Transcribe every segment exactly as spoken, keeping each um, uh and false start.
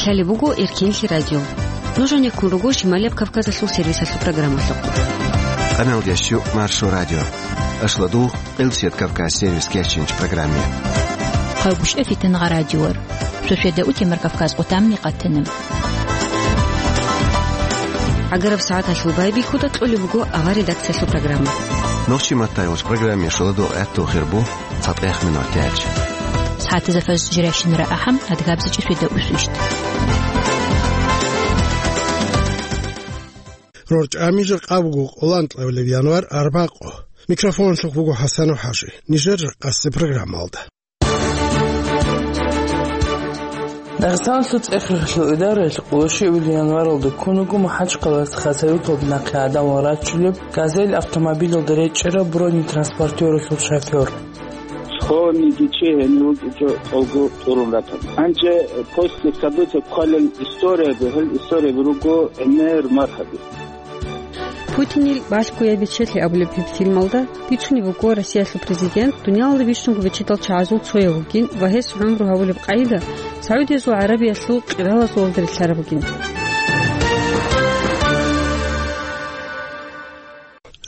Лъалеб буго Эркенлъи радио. Нуж гьанеккун руго Шималияб Кавказалъул сервисалъул программалъухъ. Къаналдиясчу Маршо радио. Ашладу Къилсият Кавказ сервис кечинч программе. Хъалбушев Фитангъа радиор. Сосведа утемар Кавказ къутамни къатана. Агараб сагӀаталъул байбихьуда кьолеб буго авар редакциялъул программа. Нохчи маттайулч программе шуладу гӀатту хирбу. Цадгъех минут тяч. СагӀатазда фаз жирашинра ахӀам, адгабзичи светаусвищ. РорчӀами жакъа буго къолан кьавлеб январ арбакъо. Микрофонлъухъ буго ХӀасанов ХӀажи. Нижер жакъасе программалда. Дагъистаналъул цӀехрехлъул идараялъ къолошиулел январалда ккун вуго МахӀачхъалаялъ хасавиталда нахъе гӀадамал рачулеб «Газель» автомобилалда речӀчӀараб бронетранспортералъул шофер. Схованниги чи гьенив вукӀинчӀо тӀолго тӀурун ратана. Гьанже после события кколел историяби, гьел историяби руго гӀемер мархаби. Путинил «Балъгояб бечелъи» абулеб гьеб фильмалда бицунеб буго Россиялъул президент дуниялалда бищунго бечедал чагӀазул цояв вугин ва гьес гӀумру гьабулеб къагӀида СагӀудиязул ГӀарабиялъул къиралазулалда релълъараб бугин.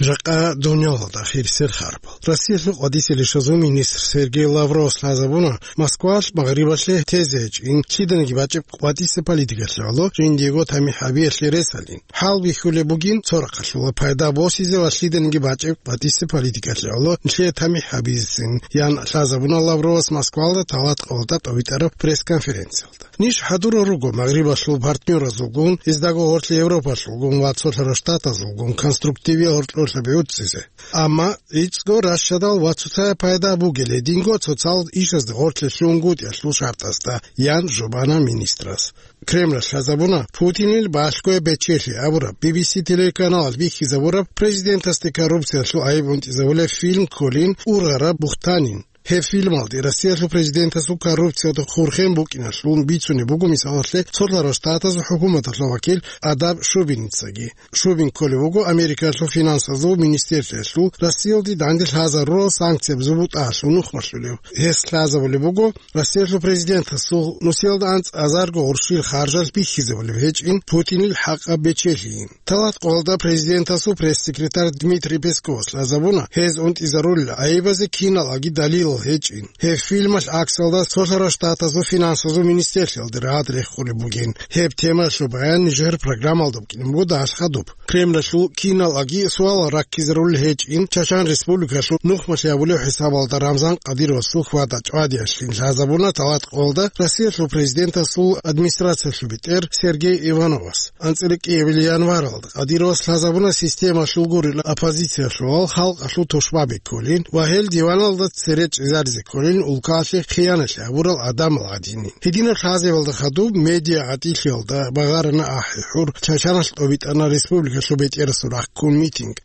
Жакъа дуниялалда хирисел харбал. Россиялъул къватӀисел ишазул министр Сергей Лавровас лъазабуна Москвалъ Магърибалъе тезе гьечӀин лъиданиги бачӀеб къватӀисеб политикалъе гӀоло жиндиего тамихӀ гьабиялъе ресалин. ХӀалбихьулеб бугин, цо рахъалъула пайда босизе ва лъиданиги бачӀеб къватӀисеб политикалъе гӀоло нилъее тамихӀ гьабизецин, ян лъазабуна Лавровас Москвалда талат къолда тӀобитӀараб пресс-конференциялда. Ниж хӀадурал руго Магърибалъул партнёразулгун, гьездаго гъорлъ Европалъулгун ва цолъарал штатазулгун конструктивиял гьоркьорлъаби гӀуцӀизе. Амма гӀицӀго ращадал ва цоцая пайда бугелей динго цоцал ишазда гъорлъе лъугьунгутӀиялъул шартӀасда, ян жубана министрас. Кремлалъ лъазабуна Путинил «Балъгояб бечелъи» абураб, Би Би Си телеканалалъ бихьизабураб президентасде коррупциялъул гӀайиб унтӀизабулеб фильм кколин ургъараб бухтанин. Гьеб фильмалде Россиялъул президентасул коррупциялда хурхен букӀиналъун бицунеб буго, мисалалъе, цолъарал штатазул хӀукуматалъул вакил Адам Шубиницаги. Шубин кколев вуго Америкалъул финансазул министерствоялъул Россиялде данде лъазарурал санкцияб зубутӀаялъул нухмалъулев. Гьес лъазабулеб буго Россиялъул президентасул нусиялда анцӀазарго гъурщил харжалъ бихьизабулеб гьечӀин Путинил хӀакъаб бечелъийин. Талат къолда президентасул пресс-секретарь Дмитрий Песковас лъазабуна гьез унтӀизарулел гӀайибазе киналги далилал гьечӀин. Гьеб фильмалъ гӀаксалда цолъарал штатазул финансазул министерствоялда рагӀад рехулеб бугин. Гьеб темаялъул баян нижер программалда букӀине буго дагьалъ хадуб. Кремлалъул киналги суалал раккизарулел гьечӀин, Чачан Республикалъул нухмалъи гьабулев хӀисабалда Рамзан Кадыровасул хьвада-чӀвадиялъин лъазабуна талат къолда Россиялъул президентасул администрациялъул бетӀер Сергей Ивановас. АнцӀила кӀиабилеб январалда Кадыровас лъазабуна системалъул гурин оппозициялъулал халкъалъул тушбаби кколин ва гьел диваналда цере чӀезаризе кколин улкалъе хиянат гьабурал гӀадамал гӀадинин. Гьединаб лъазабалда хадуб медиа гӀатӀилъиялда багъарана ахӀи-хӀур, Чачаналъ тӀобитӀана республикалъул бетӀерасул рахъ ккун митинг.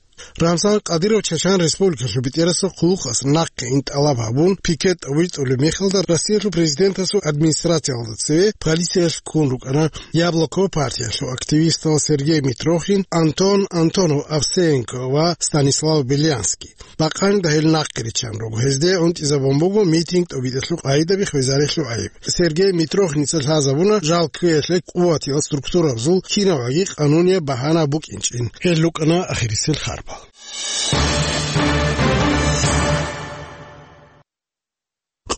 Рамзан Кадыров Чачан Республикалъул бетӀерасул хъулухъас нахъе ин тӀалаб гьабун, пикет витӀулеб мехалда Россиялъул президентасул администрациялда цеве полициялъ ккун рукӀана Яблоко партиялъул активистал Сергей Митрохин, Антон Антонов Овсеенко ва Станислав Белянский. Бакъанилда гьел нахъе риччан руго. Гьезде унтӀизабун буго митинг тӀобитӀалъул къагӀидаби хвезарелъул гӀайиб. Сергей Митрохиница лъазабуна жал кквеялъе къуватиял структурабазул кинабги къанунияб багьана букӀинчӀин. Гьел рукӀана ахирисел харбал.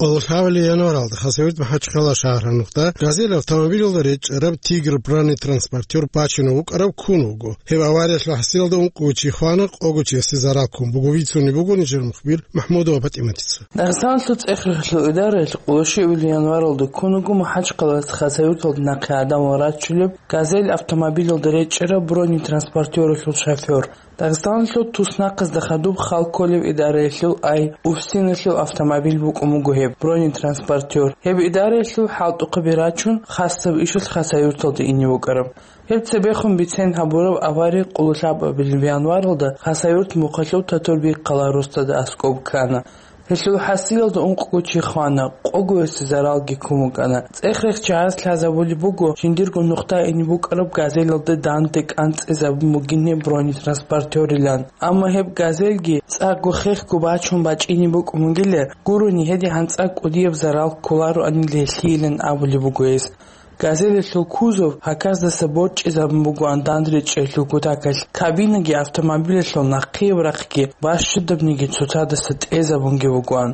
Къоло лъабабилеб январалда Хасавюрт МахӀачхъала шагьаралда «Газель» автомобилалда речӀчӀараб «Тигр» бронетранспортер бачунев вукӀараб ккун вуго. Гьеб авариялъул хӀасилалда ункъого чи хвана, къого чиясе зарал ккун буго, бицунеб буго нижер мухбир МахӀмудова ПатӀиматица. Дагъистаналъул цӀехрехлъул идараялъ къоло щибабилеб январалда ккун вуго МахӀачхъалаялъ Хасавюрталда нахъе гӀадамал рачулеб «Газель» автомобилалда речӀчӀараб бронетранспортералъул шофер. Дагъистаналъул туснахъазда хадуб хал кколеб идараялъул ай УФСИНалъул автомобиль букӀун буго гьеб бронетранспортер. Гьеб идараялъул хӀалтӀухъаби рачун, хасаб ишалъ Хасавюрталде ине вукӀараб. Гьеб цебехун бицен гьабураб авари къуллъабабилеб январалда Хасавюрт мухъалъув Татурбеккъала росдада аскӀоб ккана. Гьелъул хӀасилалда ункъго чи хвана, къогоясе заралги ккун вукӀана. ЦӀехрехчагӀаз лъазабулеб буго, жиндирго нухда ине букӀараб «Газелалда» данде кӀанцӀизабун бугин гьеб бронетранспортерилан. Амма гьеб «Газельги» цӀакъго хехго бачун бачӀине букӀун бугила, гурони гьедигӀан цӀакъ кӀудияб зарал кколароанила гьелъийилан абулеб буго гьес. «Газелалъул» кузов гьаказдаса борчӀизабун бугоан дандречӀелъул кутакалъ, кабинаги автомобилалъул нахъе рахъги бащадабниги цоцадаса тӀезабунги бугоан.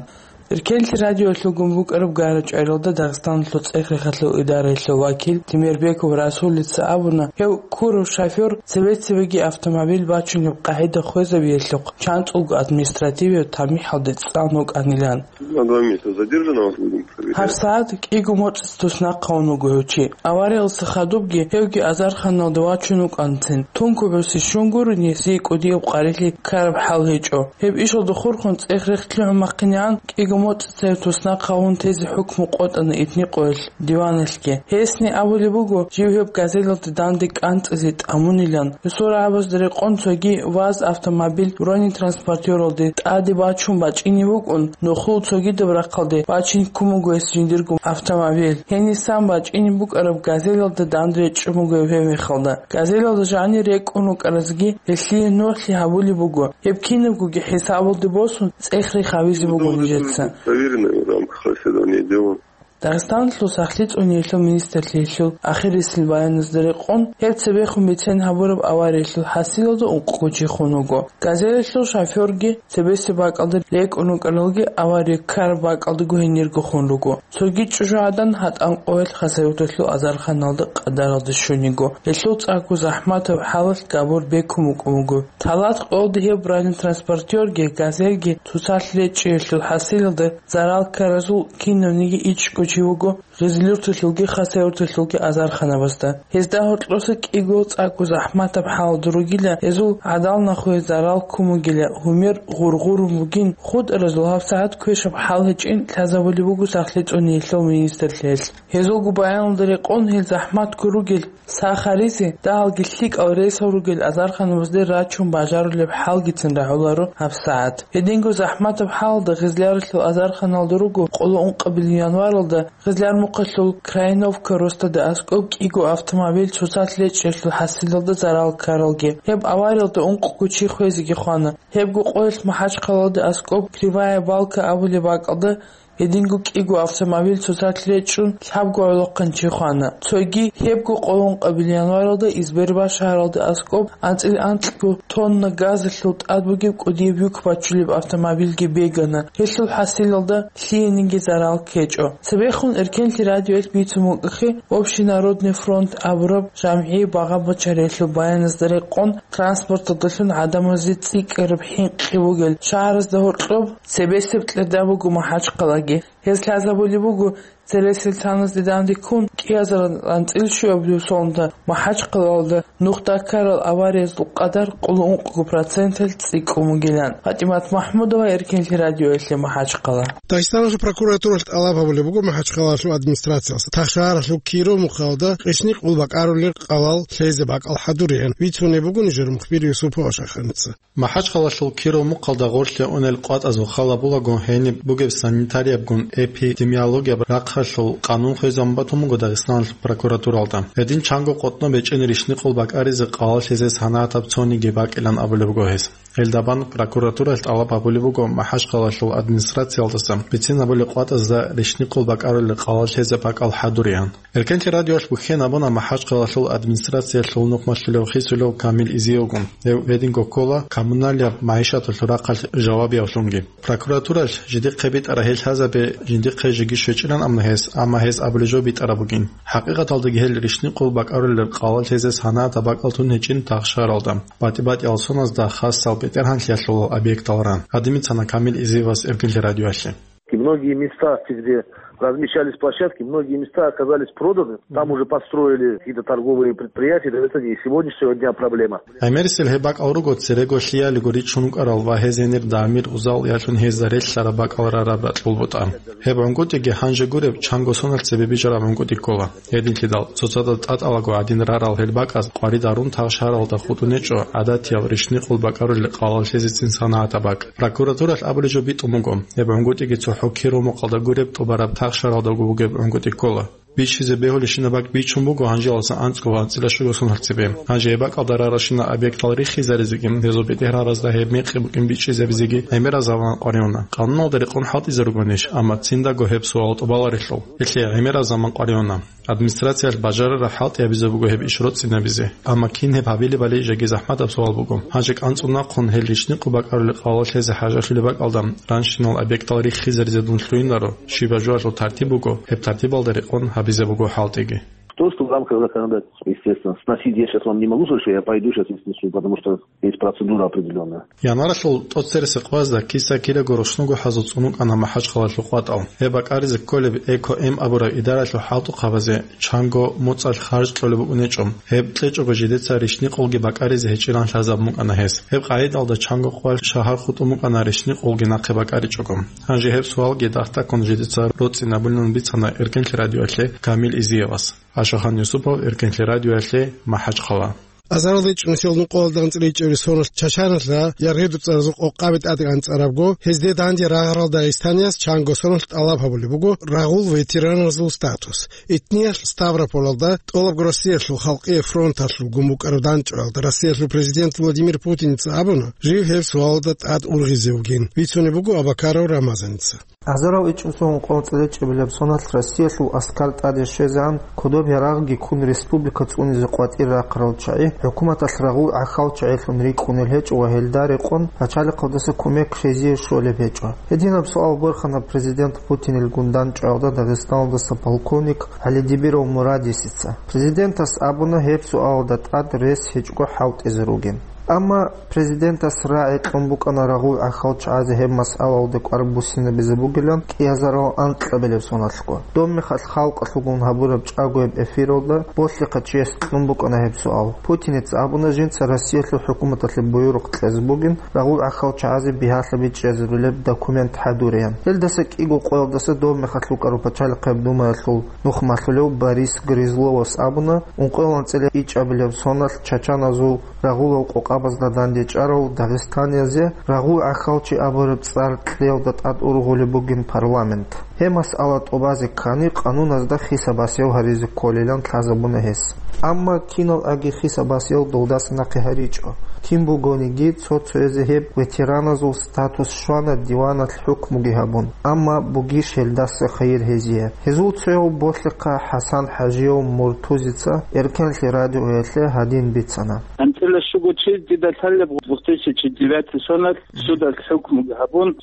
Эркенлъи радиоялъулгун букӀараб ГӀарачӀваралда Дагъистаналъул цӀех-рехалъул идараялъул вакил Темирбеков Расулица абуна, гьев ккурав шофёр цебе-цебеги автомобиль бачунеб къагӀида хвезабиялъухъ чанцӀулго административияб тамихӀалде цӀан вукӀанилан. На два месяца задержан, вас будем проверять. Гьаб сагӀат кӀиго моцӀ туснахъ гьавун вуго гьев чи. Авариялдаса хадубги гьевги азарханалде вачун вукӀанцин. Тункубасе щун гурони, гьесие кӀудияб къварилъи ккараб хӀал гьечӀо. Гьеб ишалда хурхун цӀех-рех лъугӀун-махъинегӀан, кӀиго моцӀ цебе туснахъ гьавун тезе хӀукму къотӀана Этникъоялъ диваналъги. Гьесни абулеб буго, жив гьеб «Газелалда» данде кӀанцӀизе тӀамунилан. Гьесул рагӀабазда рекъон цоги ВАЗ автомобиль бронетранспортералде тӀаде бачун бачӀине букӀун, нухлул цогидаб рахъалде бачин ккун буго гьес жиндирго автомобиль. Гьенисан бачӀине букӀараб «Газелалда» данде речӀчӀун буго гьеб мехалда. «Газелалда» жанир рекӀун рукӀаразги гьелъие нугӀлъи гьабулеб буго. Гьеб кинабгоги хӀисабалде босун, цӀех-рех гьавизе буго нижеца. Проверено в рамках расследования дела. Дагъистаналъул сахлъи цӀуниялъул министрлъиялъул ахирисел баяназда рекъон, гьеб цебехун бицен гьабураб авариялъул хӀасилалда ункъго чи хун вуго. «Газелалъул» шофёрги цебесеб бакӀалда рекӀун рукӀаралги авария ккараб бакӀалдаго гьенирго хун руго. Цоги чӀужугӀадан ГьатӀан къоялъ хасавюрталъул азарханалда къадаралде щун йиго. Гьелъул цӀакъго захӀматаб хӀалалъ габур бекун букӀун буго. Талат къоялда гьеб бронетранспортерги, «Газельги» цоцалъ речӀчӀиялъул хӀасилалда зарал ккаразул кинавниги ичӀго чи вуго Гъизлюрталъулги Хасавюрталъулги азарханабазда. Гьезда гьоркьоса кӀиго цӀакъго захӀматаб хӀалалда ругила гьезул гӀадал нахуе зарал ккун бугила, гьумер гъургъурун бугин, хутӀаразул гьабсагӀат квешаб хӀал гьечӀин лъазабулеб буго сахлъи цӀуниялъул министрлъиялъ. Гьезулго баяналда рекъон, гьел захӀматго ругел сахаризе, дагьалги лъикӀал рейсал ругел азарханабазде рачун бажарулеб хӀалгицин рагӀуларо гьабсагӀат. Гьединго захӀматаб хӀалалда Гъизляралъул азарханалда руго къоло ункъабилеб январалда Гъизлярмухъалъул Крайновка росдада аскӀоб кӀиго автомобиль цоцалъ речӀчӀиялъул хӀасилалда зарал ккаралги. Гьеб авариялда ункъго чи хвезеги хвана. Гьебго къоялъ МахӀачхъалалда аскӀоб Кривая Балка абулеб бакӀалда гьединго кӀиго автомобиль цоцалъ речӀчӀун лъабго гӀолохъанчи хвана. Цоги гьебго къоло ункъабилеб январалда Избербаш шагьаралда аскӀоб анцӀил анкьго тонна газалъул тӀад бугеб кӀудияб юк бачулеб автомобильги бегана. Гьелъул хӀасилалда лъиениги зарал ккечӀо. Цебехун Эркенлъи радиоялъ бицун букӀахъе, Общенародный фронт абураб жамгӀи багъа-бачариялъул баяназда рекъон, транспорталдалъун гӀадамазе цӀикӀкӀараб хӀинкъи бугел шагьаразда гьоркьоб цебесеб кьеда буго МахӀачхъалаги. Гьез лъазабулеб буго, цересел таназде данде ккун, кӀиазаран анцӀил щуабилеб соналда МахӀачхъалалда нухда ккарал авариязул къадар къоло ункъго проценталъ цӀикӀкӀун бугилан. ПатӀимат МахӀмудова, Эркенлъи радиоялъе, МахӀачхъала. Дагъистаналъул прокуратуралъ тӀалаб гьабулеб буго МахӀачхъалалъул администрациялъ тахшагьаралъул Киров мухъалда ришни къулбакӀарулел къалал лъезе бакӀал хӀадуриан. Вицунеб бугони жер мухбир Юсупова Шаханица. МахӀачхъалалъул Киров мухъалда гъорлъе унел къватӀазул хал гьабулаго, гьениб бугеб санитариябгун эпидемиологияб рахъалъул къанун хвезабун батун буго Дагъистаналъул прокуратуралда. Гьедин чанго къотӀноб гьечӀин ришни къулбакӀаризе къалал лъезе санагӀатаб цониги бакӀилан абулеб буго гьес. Гьелда бан прокуратуралъ тӀалаб гьабулеб буго МахӀачхъалалъул администрациялдаса бицинабулеб къватӀазда ришни къулбакӀарулел къалал лъезе бакӀал хӀадуриан. Эркенлъи радиоялъ бухьен абуна МахӀачхъалалъул администрациялъул нухмалъулев хисулев Камил Изиевгун. Гьев гьединго ккола коммуналияб магӀишаталъул рахъалъ жавабиявлъунги. Прокуратуралъ жидехъе битӀараб гьел лъазабе жиндихъе жеги щвечӀилан абуна гьес, амма гьес абулеб жо битӀараб бугин. ХӀакъикъаталдаги гьел ришни къулбакӀарулел къалал лъезе санагӀатаб бакӀал тун гьечӀин тахшаралда, батӀи-батӀиял соназда хасал бетӀергьанлъиялъул объекталда. Гьадин бицана Камил Изиевас Эркенлъи радиоялъе. И многие места, где размещались площадки, многие места оказались проданы. Там уже построили какие-то торговые предприятия. Это не сегодняшнего дня проблема. ГӀемерисел гьеб бакӀал руго церего лъиялиго ричун рукӀарал ва гьез гьенир дамир-узал ялъун гьезда релълъараб бакӀал рараб ракьул бутӀа. Гьеб гӀунгутӀиги гьанже гуреб чанго соналъ цебе бижараб гӀунгутӀи ккола. Гьединлъидал, цоцазда тӀатӀалаго гӀадин рарал гьел бакӀаз къварид гьарун тахшаралда хутӀун гьечӀо гӀадатиял ришни къулбакӀарулел къалал лъезецин санагӀатаб бакӀ. Прокуратуралъ абулеб жо битӀун буго, гьеб гӀунгутӀиги цохӀо Киров мухъалда гуреб тӀубараб тахшаралдаго бугеб гӀунгутӀи ккола. Бичизе бегьулебщинаб бакӀ бичун буго гьанжеялдаса анцӀго ва анцӀила щуго соналъ цебе. Гьанже гьеб бакӀалда раралщинал объектал рихизаризеги, гьезул бетӀергьаразда гьеб мекъи букӀин бичӀчӀизабизеги гӀемерал заман къваригӀуна. Къануналда рекъон хӀалтӀизе ругонищ, амма циндаго гьеб суал тӀубаларелъул. Гьелъие гӀемерал заман къваригӀуна. Администрациялъ бажарараб хӀалтӀи гьабизе буго гьеб иш роцӀцӀинабизе. Амма кин гьеб гьабилебали жеги захӀматаб суал буго. Гьанже кӀанцӀун нахъун гьел рищникъго бакӀарулел къалал лъезе хӀажалъулеб бакӀалда, ранщинал объектал рихизаризе дун лъугьинаро, щибаб жоялъул тартиб буго, гьеб тартибалда рекъон гьабизе буго хӀалтӀиги. То, что в рамках законодательства, естественно, сносить я сейчас вам не могу сказать, что я пойду сейчас и снесу, потому что есть процедура определённая. Январалъул тӀоцересеб къоязда киса кидаго рушнуго хӀазул цӀун вукӀана МахӀачхъалалъул къватӀал. Гьеб бакӀаризе кколеб Эко-М абураб идаралъул хӀалтӀухъабазе чанго моцӀалъ харж кьолеб букӀунечӀо. Гьеб кьечӀого жидеца рищникъулги бакӀаризе гьечӀилан лъазабун букӀана гьес. Гьеб къагӀидалда чанго къоялъ шагьар хутӀун букӀана рищникъулги нахъе бакӀаричӀого. Гьанже гьеб суалги дагь-дагьккун жидеца роцӀцӀинабулин бицана Эркенлъи радиоялъе Камил Изиевас. Ашахан Юсупов, Эркенлъи радиоялъе, МахӀачхъала. Азаралда ичӀнусел нукъоялда анцӀила ичӀабилеб соналъ Чачаналъа яргъи дуцӀаразул къокъаби тӀадегӀан цӀарабго, гьезде данде рагъарал дагъистанияс чанго соналъ тӀалаб гьабулеб буго рагъул ветераназул статус. Итниялъ Ставрополалда тӀолабго Россиялъул халкъие фронталъув гун букӀарав дандчӀваялда Россиялъул президент Владимир Путиница абуна, жив гьеб суалалда тӀад ургъизе вугин, бицунеб буго Абакаров Рамазаница. Азарал ичӀнусул нукъоялда анцӀила ичӀабилеб соналъ Россиялъул аскар тӀаде щвезегӀан, кодоб ярагъги ккун республика цӀунизе къватӀир рахъарал чагӀи, хӀукуматалъ рагъул гӀахьал чагӀилъун рикӀкӀунел гьечӀо ва гьелда рекъон пачалихъалдаса кумек щвезие щолеб гьечӀо. Гьединаб суал борхана президент Путинил гун дандчӀваялда Дагъистаналдаса полковник ГӀалидибиров Мурадисица. Президентас абуна гьеб суалалда тӀад рес гьечӀого хӀалтӀизе ругин. Амма президентас рагӀи кьун букӀана рагъул гӀахьал чагӀазе гьеб масъалаялда кӀвар буссинабизе бугилан кӀиазарал анкьабилеб соналъго. Доб мехалъ халкъалъулгун гьабураб чӀагояб эфиралда болъихъа чияс кьун букӀана гьеб суал. Путиница абуна жинца Россиялъул хӀукуматалъе буюрухъ кьезе бугин рагъул гӀахьал чагӀазе бигьалъа бичӀчӀизабулеб документ хӀадуреян. Гьелдаса кӀиго къоялдаса доб мехалъ вукӀарав пачалихъаб думаялъул нухмалъулев Борис Грызловас абуна, ункъоялда анцӀила ичӀабилеб соналъ чачаназул рагъулал къокъабазда дандечӀарал дагъистаниязе рагъул гӀахьалчи абураб цӀар кьеялда тӀад ургъулеб бугин парламент. Гьеб масъала тӀубазе ккани, къануназда хисабасиял гьаризе кколилан лъазабуна гьес. Амма кинал аги хисабасиял долдаса нахъе гьаричӀо. Кин бугониги, цо-цоязе гьеб ветераназул статус щвана диваналъ хӀукмуги гьабун, амма бугищ гьелдаса хайир гьезие? Гьезул цояв болъихъа ХӀасан ХӀажияв Муртузица Эркенлъи радиоялъе гьадин бицана. АнцӀила щуго чияс дида лъалеб две тысячи девятый соналъ судалъ хӀукмуги гьабун,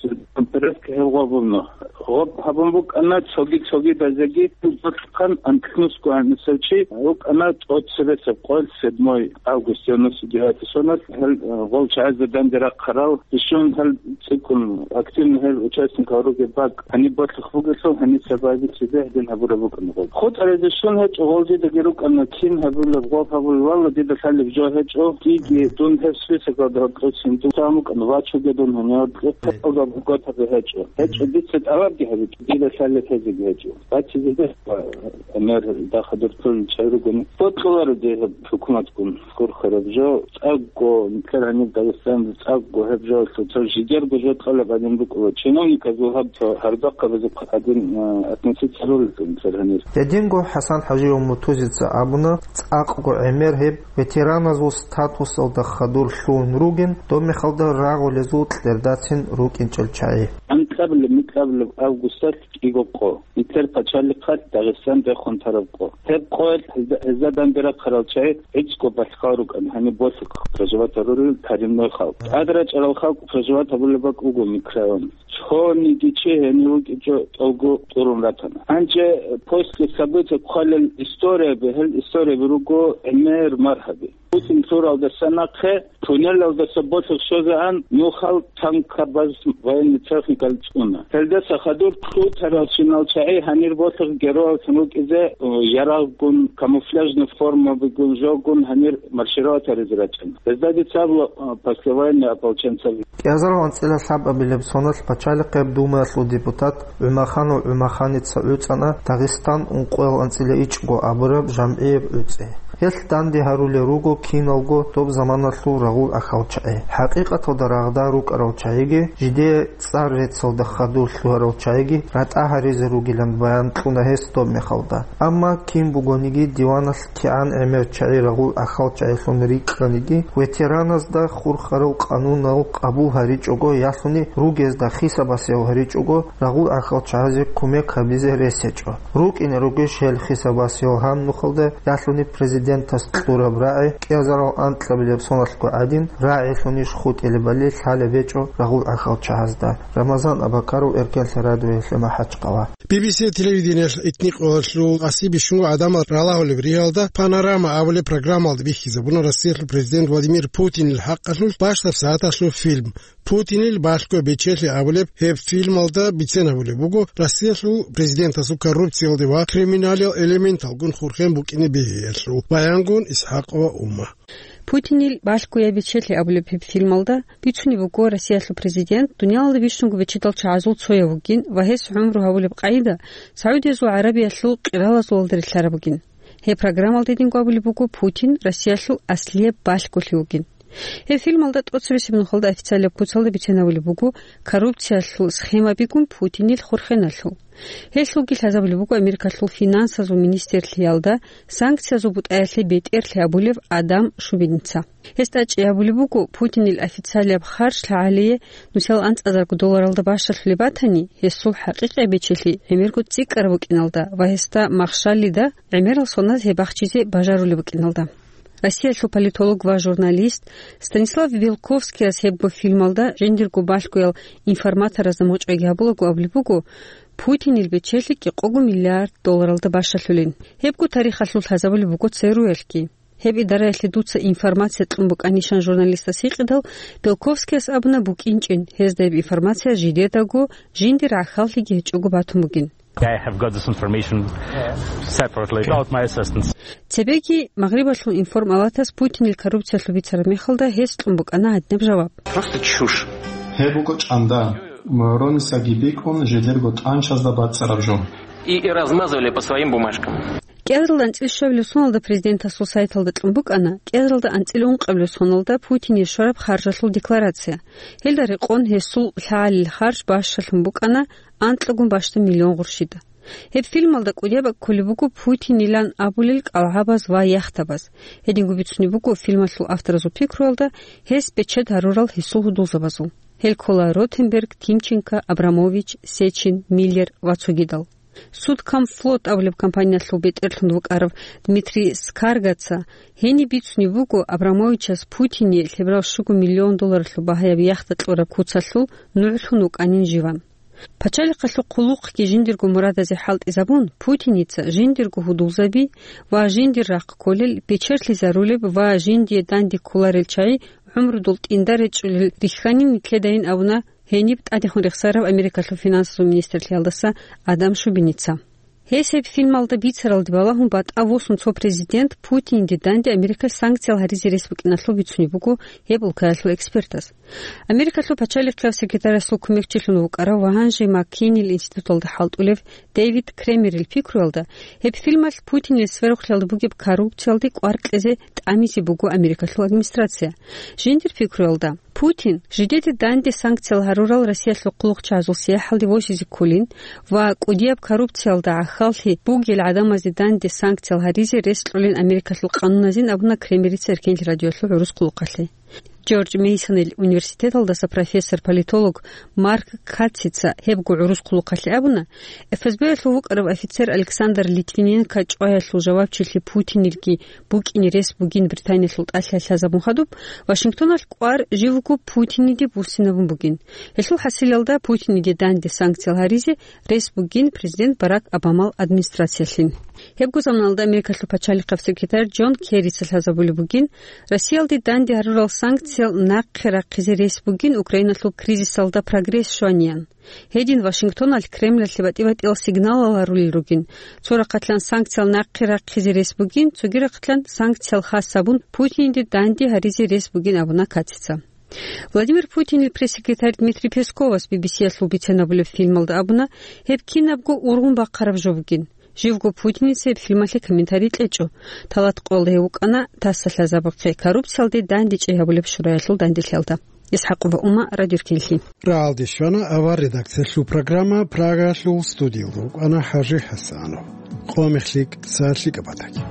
переводка гьел гъоб буго. Гъоб гьабун букӀана цоги-цогидазеги, гьелдалъухъан анкьнусго гьанисев чи вукӀана тӀоцебесеб къоялъ, седьмой август девяносто девятый соналъ, гьел, э, гъол чагӀазда данде рахъарал, бищун гьел цӀикӀкӀун активно гьел участникал ругеб бакӀ гьаниб болъухъ бугелъул, гьаниса баги цебе гьедин гьабураб букӀана гъоб. ХутӀаризе щун гьечӀо, гъол дидаги рукӀана, кин гьабулеб, гъоб гьабулеб, валла, дида лъалеб жо гьечӀо, диги дун гьеб списокалда гьоркьосин дун вачуге дун гьанив гьоркье, тапалда бугатаби гьечӀо. ГьечӀо, дица тӀалабги гьабичӀо, дида лъалеб гьезеги гьечӀо. Бачизе гьечӀо, гӀемер дахъадур пулин чӀай ругони. Бокьуларо дир гьеб хӀукуматгун хурхараб жо, цӀакъго, нилъер гьаниб Дагъистаналда цӀакъго гьеб жоялъул цо жидерго жо кьолеб гӀадин букӀула. Чиновниказул гьаб цо гьардахъабазухъ гӀадин, а, относиться ролелъул нилъер гьанир. Гьединго ХӀасан ХӀажияв Муртузица абуна, цӀакъго гӀемер гьеб ветераназул статусалда хадур лъугьун ругин, доб мехалда рагъулезул кьердацин рукӀинчӀел чагӀи. Анкьабилеб-микьабилеб августалъ кӀиго къо. Нилъер пачалихъалъ Дагъистан рехун тараб къо. Гьеб къоялъ гьезда, гьезда данде рахъарал чагӀи гӀицӀго балъгъал рукӀана, гьаниб болъухъ проживать гьарурел коренной халкъ. ТӀад рачӀарал халкъ проживать гьабулеб бакӀ буго микрорайон. Цониги чи гьенив вукӀинчӀо тӀолго тӀурун ратана. Гьанже после событий хъвалел историяби, гьел историяби руго гӀемер маргьаби. Путин лъуралдаса нахъе туннелалдаса болъухъ щвезегӀан нухал танкабаз военный техникал цӀуна. Гьелдаса хадур лъутаралщинал чагӀи гьанир болъухъ герояллъун рукӀизе, э, ярагъгун, камуфляжный формабигун жогун гьанир маршировать гьаризе рачӀана. Гьезда дица абула, э, послевоенный ополченцаби. КӀиазарал анцӀила лъабабилеб соналъ пачалихъеб думаялъул депутат ГӀумаханов ГӀумаханица гӀуцӀана Дагъистан ункъоял анцӀила ичӀго абураб жамгӀияб гӀуцӀи. Гьелъ данде гьарулел руго киналго доб заманалъул рагъул ахьал чагӀи. ХӀакъикъаталда рагъда рукӀарал чагӀиги, жидее цӀар реццалда хадур лъугьарал чагӀиги ратӀа гьаризе ругилан баян кьуна гьес доб мехалда. Амма кин бугониги диваналъ кигӀан гӀемер чагӀи рагъул ахьал чагӀилъун рикӀкӀаниги, ветераназда хурхарал къанунал къабул гьаричӀого ялъуни ругезда хисабасев гьаричӀого, рагъул ахьал чагӀазе кумек гьабизе рес гьечӀо. РукӀине ругищ гьел хисабасел гьаб нухалда ялъуни президентас кьураб рагӀи, кӀиазарал анкьабилеб соналъго гӀадин, рагӀилъунищ хутӀилебали лъалеб гьечӀо рагъул ахьал чагӀазда. Рамазан Абакаров, Эркенлъа радиоялъе МахӀачкъала. Би би си телевидениялъ итникъоялъул къаси бищунго гӀадамал ралагьулеб ригьалда «Панорама» абулеб программалда бихьизабуна Россиялъул президент Владимир Путинил хӀакъалъулъ бащдаб сагӀаталъул фильм. «Путинил балъго бечелъи» абулеб гьеб фильмалда бицен гьабулеб буго Россиялъул президентасул коррупциялде ва криминалил элементалгун хурхен букӀине бегьиялъул баянгун Исхакова Ума. «Путинил балъго я бечелъи» абулеб гьеб фильмалда бицунеб буго Россиялъул президент дуниялалда бищунго бечедал чагӀазул цояв вугин ва гьес гӀумру гьабулеб къагӀида СагӀудиязул ГӀарабиялъул къиралазулалда релълъараб бугин. Гьеб программалда гьединго абулеб буго Путин Россиялъул аслияб балъголъи вугин. Гьеб фильмалда тӀоцебесеб нухалда официалияб куцалда бицен гьабулеб буго коррупциялъул схемабигун Путинил хурхеналъул. Гьелъулги лъазабулеб буго Америкалъул финансазул министрлъиялда санкциязул бутӀаялъе бетӀерлъи абулев Адам Шубиница. Гьес тӀачӀи абулеб буго, Путинил официалияб харж лъагӀалие нусал анцӀазарго долларалда бащалъулеб батани, гьесул хӀакъикъияб бечелъи гӀемерго цӀикӀкӀараб букӀиналда ва гьесда махщалида гӀемерал соназ гьеб бахчизе бажарулеб букӀиналда. Россиялъул политолог ва журналист Станислав Белковскияс гьебго фильмалда жиндирго балъгоял информаторазда мочӀайги гьабулаго абулеб буго, Путинил бечелъи кӀикъого миллиард долларалда бащалъулин. Гьебго тарихалъул лъазабулеб буго ЦРУ-ялъги. Гьеб идараялъе дуца информация кьун букӀанищан журналистас гьикъидал, Белковскияс абуна букӀинчӀин, гьезда гьеб информация жидедаго, жиндир гӀахьаллъиги гьечӀого батун бугин. I have got this information separately, without my assistance. Цебеги Магърибалъул информалатас Путинил коррупциялъул бицараб мехалда гьес кьун букӀана гьадинаб жаваб. Просто чушь. Гьеб буго чӀанда. Морон Исаги бикӀун жидерго тӀанчазда бацӀцӀараб жо. И, и размазывали по своим бумажкам. КӀиазаралда анцӀила щуабилеб соналда президентасул сайталда кьун букӀана, кӀиазаралда анцӀила ункъабилеб соналда Путине щвараб харжалъул декларация. Гьелда рекъон гьесул лъагӀалил харж бащалъун букӀана анкьагун бащдаб миллион гъурщида. Гьеб фильмалда кӀудияб кколеб буго Путинилан абулел кӀалгӀабаз ва яхтабаз. Гьединго бицунеб буго фильмалъул авторазул пикруялда гьес бечед гьарурал гьесул гьудулзабазул. Гьел ккола Ротенберг, Тимченко, Абрамович, Сечин, Миллер ва цогидал. Судкомфлот абулеб компаниялъул бетӀерлъун вукӀарав Дмитрий Скаргаца гьениб бицунеб буго Абрамовичас Путине лъеберал щуго миллион долларалъул багьаяб яхта кьураб куцалъул нугӀлъун вукӀанин живан. Пачалихъалъул хъулухъги жиндирго мурадазе хӀалтӀизабун, Путиница жиндирго гьудулзаби ва жиндир рахъ кколел, бечерлъизарулеб ва жиндие данде кколарел чагӀи гӀумрудул тӀинда речӀчӀулел рихьанин нилъедайин абуна гьениб тӀадехун рехсарав Америкалъул финансазул министрлъиялдаса Адам Шубиница. Гьес гьеб фильмалда бицаралде балагьун батӀа восун цо президент Путинде данде Америкалъ санкциял гьаризе рес букӀиналъул бицунеб буго гьеб улкаялъул экспертас. Америкалъул пачалихъияв секретарасул кумекчилъун вукӀарав ва гьанже МакКейнил институталда хӀалтӀулев Дэвид Кремерил пикруялда, гьеб фильмалъ Путинил сверухълъиялда бугеб коррупциялде кӀвар кьезе тӀамизе буго Америкалъул администрация. Жиндир пикруялда, Путин жидеде данде санкциял гьарурал Россиялъул хъулухъчагӀазул сияхӀалде восизе кколин ва кӀудияб коррупциялда гӀахьаллъи бугел гӀадамазде данде санкциял гьаризе рес кьолин Америкалъул къануназин абуна Кремерица Эркенлъи радиоялъул гӀурус хъулухъалъе. Джордж Мейсонил университеталдаса профессор-политолог Марк Катцица гьебго гӀурус хъулухъалъе абуна, ФСБ-ялъул вукӀарав офицер Александр Литвиненко чӀваялъул жавабчилъи Путинилги букӀине рес бугин Британиялъул тӀалъи лъазабун хадуб, Вашингтоналъ кӀвар живго Путиниде буссинабун бугин. Гьелъул хӀасилалда Путиниде данде санкциял гьаризе рес бугин президент Барак Обамал администрациялъин. Гьебго заманалда Америкалъул пачалихъав секретарь Джон Керрица лъазабулеб бугин, Россиялде данде гьарурал санкциял нахъе рахъизе рес бугин Украиналъул кризисалда прогресс щваниян. Гьедин Вашингтоналъ Кремльалъе батӀи-батӀиял сигналал гьарулел ругин. Цо рахъалъан санкциял нахъе рахъизе рес бугин, цоги рахъалъан санкциял хас гьабун Путинде данде гьаризе рес бугин абуна Катица. Владимир Путинил пресс-секретарь Дмитрий Песковас Би Би Си-ялъул бицен гьабулеб фильмалда абуна, гьеб кинабго ургъун бахъараб жо бугин. Живго путинецин гьеб фильмалъе комментарий кьечӀо. Талат къоялда гьев вукӀана тасалъазабухъе коррупциялде дандечӀей гьабулеб шураялъул данделъиялда. ИсхӀакъова Ума, Радио Ркенлъи. РагӀалде щвана авар редакциялъул программа, Прагалъул студиялда вукӀана ХӀажи ХӀасанов. Къо мехлъи цӀар лъикӀаб батаги.